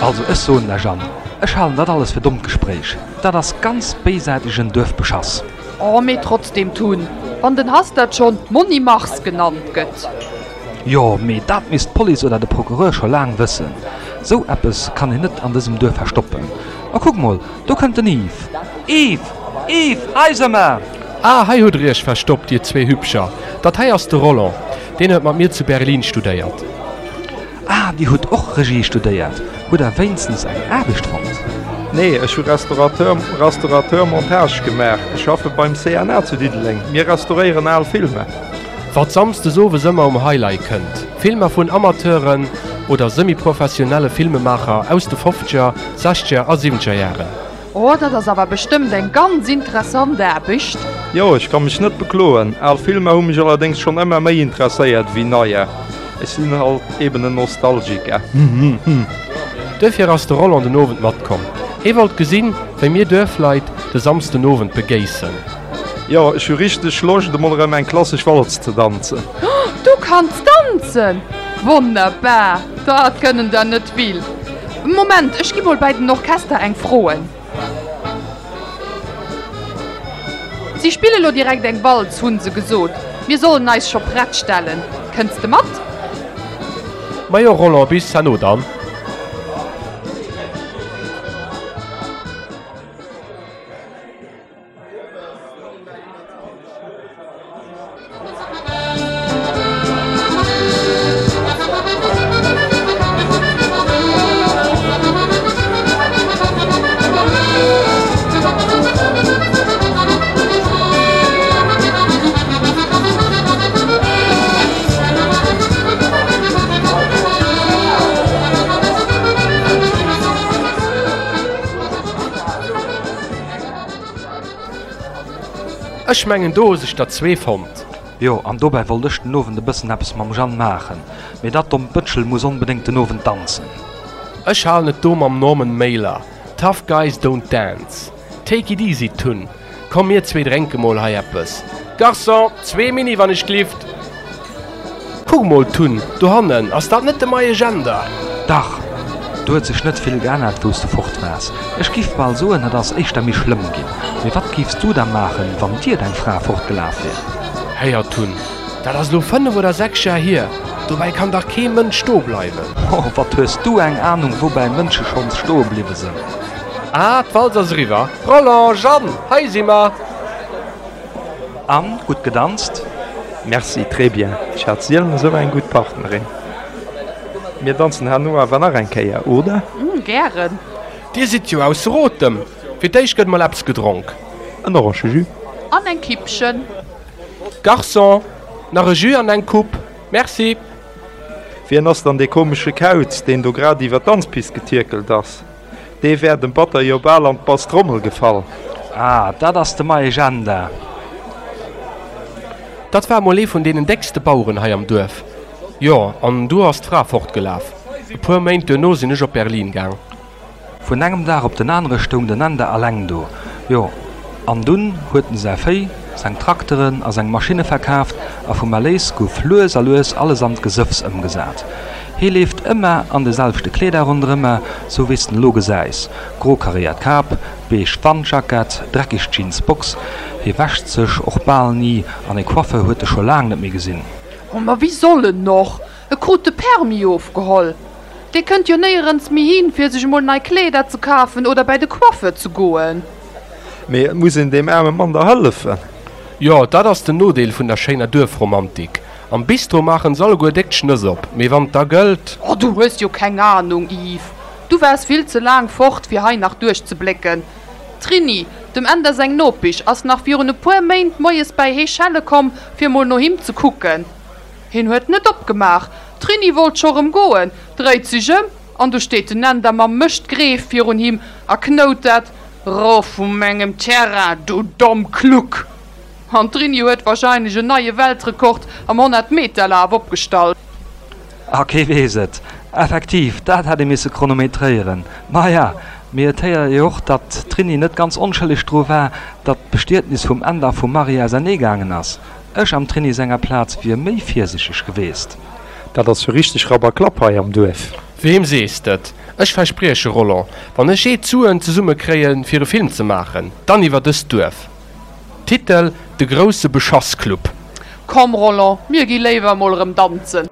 Also ech soen lech an, ech halen dat alles fir dommt Gespréich. Dat ass ganz béisäitegen Duerfbeschass. Oh, mee trotzdem, Tun, wann den Hastert schonn Monni Mars genannt gëtt. Jo, mee dat misst d'Police oder de Procureur scho laang wëssen. Sou eppes kann een net an dësem Duerf verstoppen. A kuck mol, do kënnt den Yves. Yves! Yves, hei se mer! Ah, hei hutt der iech verstoppt, dir zwee Hübscher. Dat hei ass de Roland, deen huet mat mir zu Berlin studéiert. Ah, Dir hutt och Regie studéiert? Hutt Der wéinstens eng Aarbecht fonnt? Nee, ech hu Restaurateur, Restaurateur Montage gemaach. Ech schaffe beim CNA zu Diddeleng. Mir restauréieren al Filmer. Wat samsdes owes ëmmer um Highlight kënnt, Filmer vun Amateuren oder semi-professionelle Filmemaacher aus de fofzeger, sechzeger a siwwenzeger Jaren. Oh, dat ass awer bestëmmt eng ganz interessant Aarbecht. Jo, ech ka mech net bekloen. Al Filmer hu mech allerdéngs schonn ëmmer méi interesséiert wéi neier. Ech sinn halt eben en Nostalgiker. Duerfir ass de Roland den Owend matkomm. Hee wollt gesinn, wéi mir Duerfleit de Samsdenowend begéissen. Jo, ech hu richteg Loscht emol erëm eng klassesch Walz ze danzen. Du kanns danzen? Wonnerbar! Dat kënnen der net vill. Moment, ech gi mol bäi den Orchester eng froen. Si spille lo direkt eng Walz, hunn se gesot. Mir sollen eis scho prett stellen. Kënns de mat? Majo Roland, bis herno dann. Ech mengen do hu sech der zwee fonnt. Jo, an dobäi wollt ech den Owend e bëssen eppes mam Jeanne maachen, mee dat dommt Bëtschel muss onbedéngt den Owend danzen. Ech halen et do mam Norman Mailer, Tough guys don't dance. Take it easy Tun, komm mir zwee drénke mol hei eppes. Garçon, zwee Mini wann ech glift! Kuck mol Tun, dohannen, ass dat net de Mayesch Änder? Dach, do huet sech net vill geännert wous de fort waars. Ech giff bal soen, et ass éischter méi schlëmm ginn. Mee wat giffs du da maachen, wann dir deng Fra fortgelaf wier? Héier Tun, dat ass elo 5 oder 6 Jar hier, dobäi kann dach kee Mënsch stoe bleiwen. Oh, wat hues du eng Ahnung, woubäi Mënsche schonns stoe bliwwe sënn. Ah, d'Walz ass eriwwer. Roland, Jeanne, hei si mer! An, gutt gedanzt? Merci, très bien. Ech hat sielen esou eng gutt Partnerin. Mir danzen herno awer nach eng Kéier, oder? Gären. Dir sidd jo ausser Otem. Fir d'éischt gëtt mol eppes gedronk. En Orangejus. An eng Kippchen. Garçon, nach e Jus an eng Coupe. Merci. Wien ass dann dee komesche Kauz, deen do grad iwwer d'Danzpist getierkelt ass? Dee wär dem Batter jo bal an d'Basstrommel gefall. Ah, dat ass de Mayesch Enda. Dat war mol ee vun deenen déckste Baueren hei am Duerf. Jo, an du ass d'Fra fortgelaf. E puer Méint duerno sinn ech op Berlin gaang. Vun engem Dag op den anere stoung den Enda alleng do. Jo, an dunn huet en säi Véi, seng Trakteren a seng Maschinne verkaaft a vum Erléis gouf lues a lues alles an d'Gesëffs ëmgesat. Hee leeft ëmmer an de selwechte Kleeder ronderëmmer, sou wéi s de en elo gesäis, gro karéiert Kap, beige Wandjackett, dreckeg Jeans Box. Hee wäscht sech och bal ni an e Coiffeur huet e scho laang net méi gesinn. Oh, ma wéi soll en och? E krut de Permis ofgeholl. Dee kënnt jo néierens méi hin, fir sech emol nei Kleeder ze kafen oder bäi de Coiffeur ze goen. Mee et muss een deem aarme Mann da hëllefen. Jo, dat ass den Nodeel vun der schéiner Duerfromantik. Am Bistro maachen se alleguer déck d'Schnëss op, mee wann et da gëllt. Oh, du hues jo keng Ahnung, Yves. Du waars vill ze laang fort, fir hei nach duerchzeblécken. D'Trini, dem Änder seng Nopisch, ass nach virun e puer Méint moies bäi hee schelle komm, fir mol no him ze kucken. Hien huet net opgemaach. D'Trini wollt scho rëm goen, dréit sech ëm, an do steet den Änder mam Mëschtgreef virun him a knoutert, Rof vu mengem Terrain, du domm Kluck! An d'Trini huet warscheinlech en neie Weltrekord am 100 Meter Laf opgestallt. Ah, kee weess et. Effektiv, dat hätt ee misse chronometréieren. Maja, mee et héiert ee och, datt d'Trini net ganz onschëlleg dru war, datt d'Bestietnis vum Änder a vum Marie ausernee gaangen ass. Ech am Trini senger Plaz wier méi virsichteg geweest. Dat ass jo richteg Rapp a Klapp hei am Duerf. Weem sees d'et? Ech versprieche, Roland, wann ech jee d'Suen zesumme kréien, fir e Film ze maachen, dann iwwer dëst Duerf. Titel, De grousse Beschassclub. Komm, Roland, mir gi léiwer emol erëm danzen.